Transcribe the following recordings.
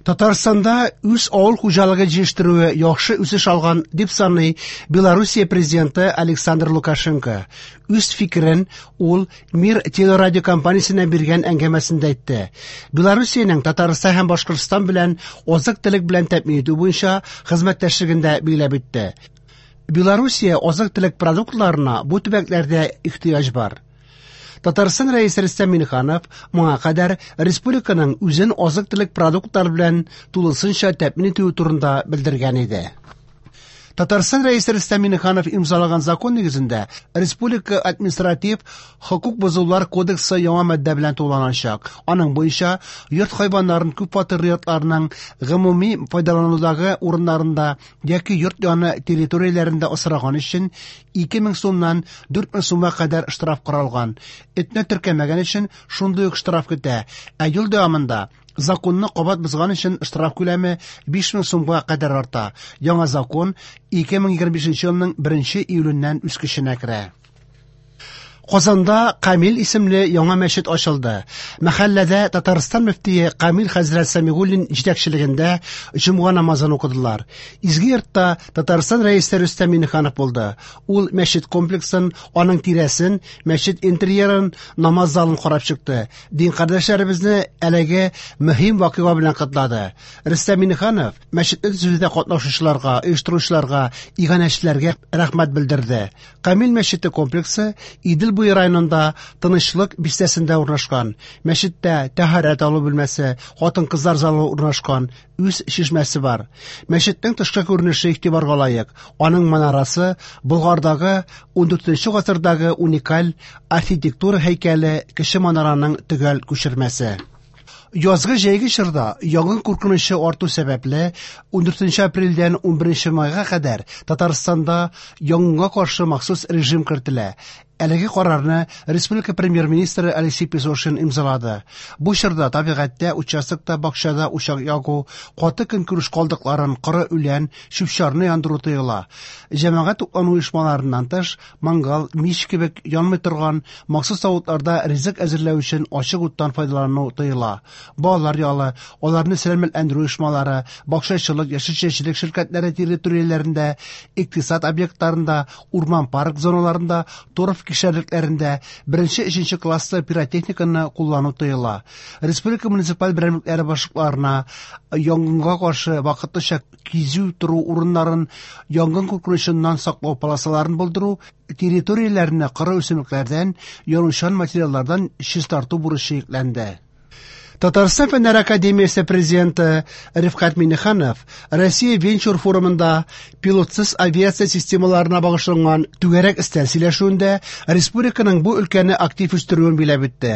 Татарстанда үз авыл хуҗалыгы җитештерүе яхшы үсеш алган, дип саный Белоруссия президенты Александр Лукашенко. Үз фикерен ул Мир телерадиокомпаниясенә биргән әңгәмәсендә әйтте. Белоруссиянең Татарстан һәм Башкортстан белән азык-төлек белән тәэмин итү буенча хезмәттәшлеген дә билгеләп үтте. Белоруссия азык-төлек продуктларына бу төбәкләрдә ихтыяҗ бар. Татарстан Рәисе Рөстәм Миңнеханов моңа кадәр республиканың үзен азык-төлек продуктлары белән тулысынча тәэмин итүе турында белдергән иде. Татарстан Рәисе Рөстәм Миңнеханов имзалаган закон нигезендә Республика административ хокук бозулар кодексы яңа маддә белән тулыланачак. Аның буенча йорт хайваннарын күп фатирлы йортларның гомуми файдаланудагы урыннарында яки йорт яны территорияләрендә асраган өчен 2000 сумнан 4000 сумга кадәр штраф каралган. Этне теркәмәгән өчен шундый ук штраф көтә. Ә ел дәвамында законны кабат бозган өчен штраф күләме 5000 сумга кадәр арта. Яңа закон 2025 елның 1 июленнән үз көченә керә. Казанда Камил исемле яңа мәчет ачылды. Мәхәлләдә Татарстан мөфтие Камил хәзрәт Сәмигуллин җитәкчелегендә җомга намазын укыдылар. Изге йортта Татарстан рәисе Рөстәм Миңнеханов булды. Ул мәчет комплексын, аның тирәсен, мәчет интерьерын, намаз залын карап чыкты. Дин кардәшләребезне әлеге мөһим вакыйга белән котлады. Рөстәм Миңнеханов мәчетне төзүдә катнашучыларга, оештыручыларга, иганәчеләргә рәхмәт белдерде. Камил мәчете комплексы Идел буе районында Тынычлык бистәсендә урнашкан. Мәчеттә тәһарәт алу бүлмәсе, хатын-кызлар залы урнашкан, үз чишмәсе бар. Мәчетнең тышкы күренеше игътибарга лаек. Аның манарасы Болгардагы 14 гасырдагы уникаль архитектура һәйкәле кече манараның төгәл күчермәсе. Язгы җәйге чорда янгын куркынычы арту сәбәпле 14 апрельдән 11 майга кадәр Татарстанда янгынга каршы махсус режим кертелә. Әлеге карарны республика премьер-министры Алексей Песошин имзалады. Бу чорда табигатьтә, участокта, бакчада учак ягу, каты көнкүреш калдыкларын, коры үлән, чүп-чарны яндыру тыела. Җәмәгать туклану оешмаларыннан тыш, мангал, мич кебек янмый торган махсус савытларда ризык әзерләү өчен ачык уттан файдалану тыела. Балалар ялы, аларны сәламәтләндерү оешмалары, бакчачылык, яшелчәчелек ширкәтләре территорияләрендә, икътисад объектларында, урман-парк зоналарында, торф кишәрлекләрендә беренче-өченче класслы пиротехниканы куллану тыела. Республика муниципаль берәмлекләре башлыкларына янгынга каршы вакытлыча кизү тору урыннарын, янгын куркынычыннан саклау полосаларын булдыру, территорияләрне коры үсемлекләрдән, янучан материаллардан чистарту бурычы йөкләнде. Татарстан Фәннәр академиясе президенты Рифкать Миңнеханов Россия венчур форумында пилотсыз авиация системаларына багышланган түгәрәк өстәл сөйләшүендә республиканың бу өлкәне актив үстерүен биләп үтте.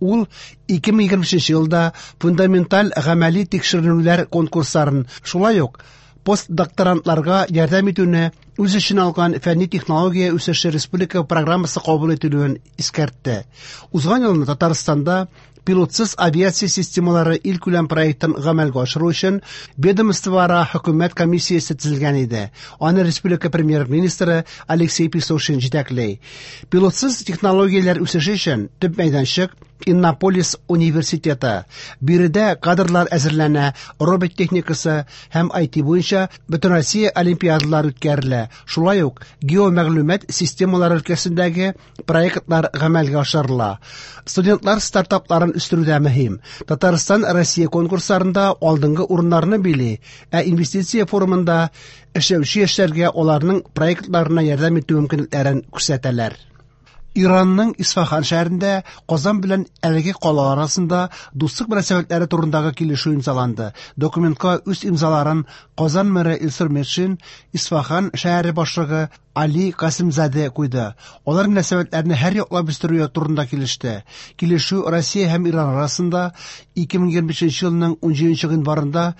Ул 2025 елда фундаменталь гамәли тикшеренүләр конкурсларын, шулай ук постдокторантларга ярдәм итүне үз эченә алган фәнни технология үсеше республика программасы кабул ителүен искәртте. Узган елны Татарстанда пилотсыз авиация системалары илкүләм проектын гамәлгә ашыру өчен ведомствоара хөкүмәт комиссиясе төзелгән иде. Аны республика премьер-министры Алексей Песошин җитәкли. Пилотсыз технологияләр үсеше өчен төп мәйданчык Иннополис университеты. Биредә кадрлар әзерләнә, робот техникасы һәм IT буенча Бөтенроссия олимпиадалар үткәрелә. Шулай ук геомәгълүмат системалары өлкәсендәге проектлар гамәлгә ашырыла. Студентлар стартапларын үстерү дә мөһим. Татарстан Россия конкурсларында алдынгы урыннарны били, ә инвестиция форумында эшләүче яшьләргә аларның проектларына ярдәм итү мөмкинлекләрен күрсәтәләр. Иранның Исфахан шәһәрендә Казан белән әлеге кала арасында дуслык мөнәсәбәтләре турындагы килешү имзаланды. Документка үз имзаларын Казан мэры Илсур Метшин, Исфахан шәһәре башлыгы Али Касымзаде куйды. Алар мөнәсәбәтләрне һәр яклап үстерү турында килеште. Килешү Россия һәм Иран арасында 2025 елның 17 гыйнварында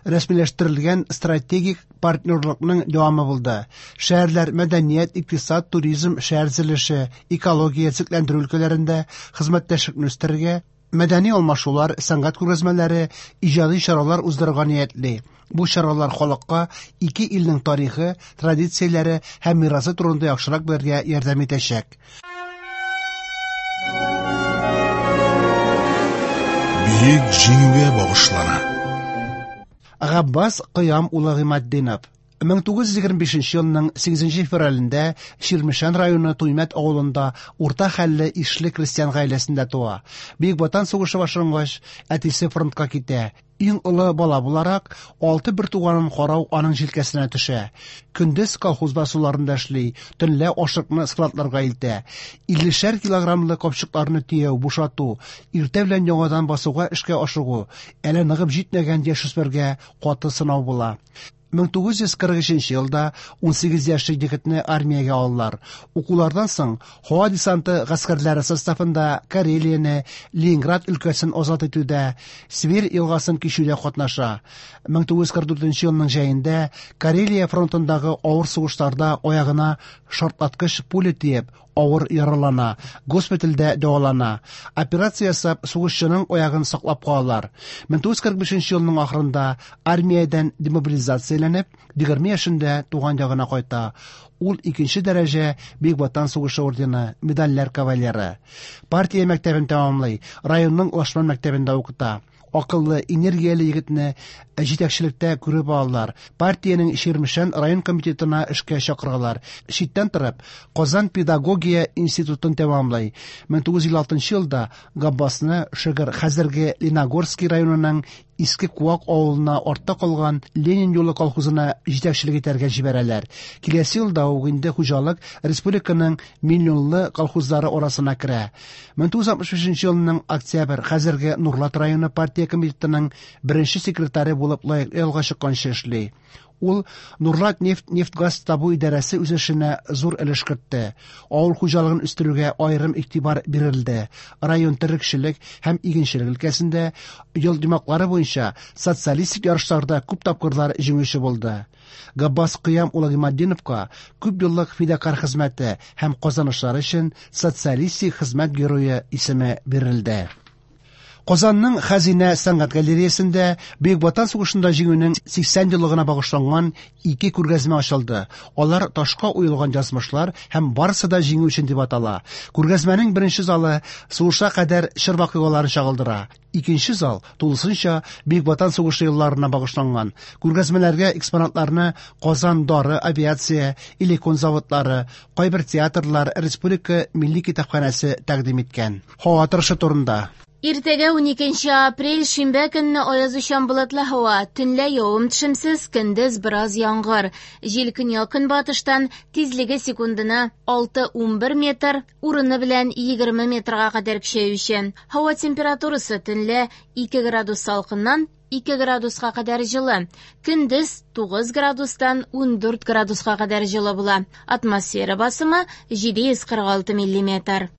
рәсмиләштерелгән стратегик партнерлыкның дәвамы булды. Шәһәрләр мәдәният, икътисад, туризм, шәһәр төзелеше, экология, төзекләндерү өлкәләрендә хезмәттәшлекне үстерергә, мәдәни алмашулар, сәнгать күргәзмәләре, иҗади чаралар уздырырга ниятли. Бу чаралар халыкка ике илнең тарихы, традицияләре һәм мирасы турында яхшырак белергә ярдәм итәчәк. Бөек Җиңүгә багышлана. Габбас Кыям улы Гыйматдинов 1925 елның 8 февралендә Чирмешән районы Туймәт авылында урта хәлле ишле крестьян гаиләсендә туа. Бөек Ватан сугышы башлангач, әтисе фронтка китә. Иң олы бала буларак, алты бертуганын карау аның җилкәсенә төшә. Көндез колхоз басуларында эшли, төнлә ашлыкны складларга илтә. 50шәр килограммлы капчыкларны төяү, бушату, иртә белән яңадан басуга эшкә ашыгу әле ныгып җитмәгән яшүсмергә каты сынау була. 1943 елда 18 яшьлек егетне армиягә алалар. Укулардан соң һава десанты гаскәрләре составында Карелияне, Ленинград өлкәсен азат итүдә, Свирь елгасын кичүдә катнаша. 1944 елның җәендә Карелия фронтындагы авыр сугышларда аягына шартлаткыч пуля тиеп, авыр яралана, госпитальдә дәвалана. Операция ясап, сугышчының аягын саклап калалар. 1945 елның ахырында армиядән демобилизацияләнеп, 20 яшендә туган ягына кайта. Ул икенче дәрәҗә Бөек Ватан сугышы ордены, медальләр кавалеры. Партия мәктәбен тәмамлый, районның Лашман мәктәбендә укыта. Акыллы, энергияле егетне җитәкчелектә күреп алалар. Партиянең Чирмешән район комитетына эшкә чакыралар. Читтән торып, Казан педагогия институтын тәмамлый. 1956 елда Габбасны Шөгер хәзерге Леногорский районының Иске Куак авылына артта калган Ленин юлы колхозына җитәкчелек итәргә җибәрәләр. Киләсе елда ук инде хуҗалык республиканың миллионлы колхозлары арасына керә. 1965 елның октябрь хәзерге Нурлат районы партия комитетының беренче секретаре булып лаеклы ялга чыкканчы эшли. Ул Нурлат нефть нефтьгаз табу идарәсе үсешенә зур өлеш кертте. Авыл хуҗалыгын үстерүгә аерым игътибар бирелде. Район терлекчелек һәм игенчелек өлкәсендә ел йомгаклары буенча социалистик ярышларда күп тапкырлар җиңүче булды. Габбас Кыям улы Гыйматдиновка күп еллык фидакарь хезмәте һәм казанышлары өчен Социалистик хезмәт герое исеме бирелде. Казанның Хәзинә сәнгать галереясендә Бөек Ватан сугышында җиңүнең 80 еллыгына багышланган ике күргәзмә ачылды. Алар Ташка уелган язмышлар һәм Барысы да җиңү өчен дип атала. Күргәзмәнең беренче залы сугышка кадәр чор вакыйгаларын чагылдыра. Икенче зал тулысынча Бөек Ватан сугышы елларына багышланган. Күргәзмәләргә экспонатларны Казан дары, авиация, Элекон заводлары, кайбер театрлар, Республика милли китапханәсе тәкъдим иткән. Һава торышы турында. Иртәгә 12 апрель шимбә көнне аязучан болытлы һава, төнлә явым-төшемсез, көндез бераз яңгыр. Җил көньяк-көнбатыштан, тизлеге секундына 6-11 метр, урыны белән 20 метрга кадәр көчәючән. Һава температурасы төнлә 2 градус салкыннан 2 градуска кадәр җылы, көндез 9 градустан 14 градуска кадәр җылы була. Атмосфера басымы 746 миллиметр.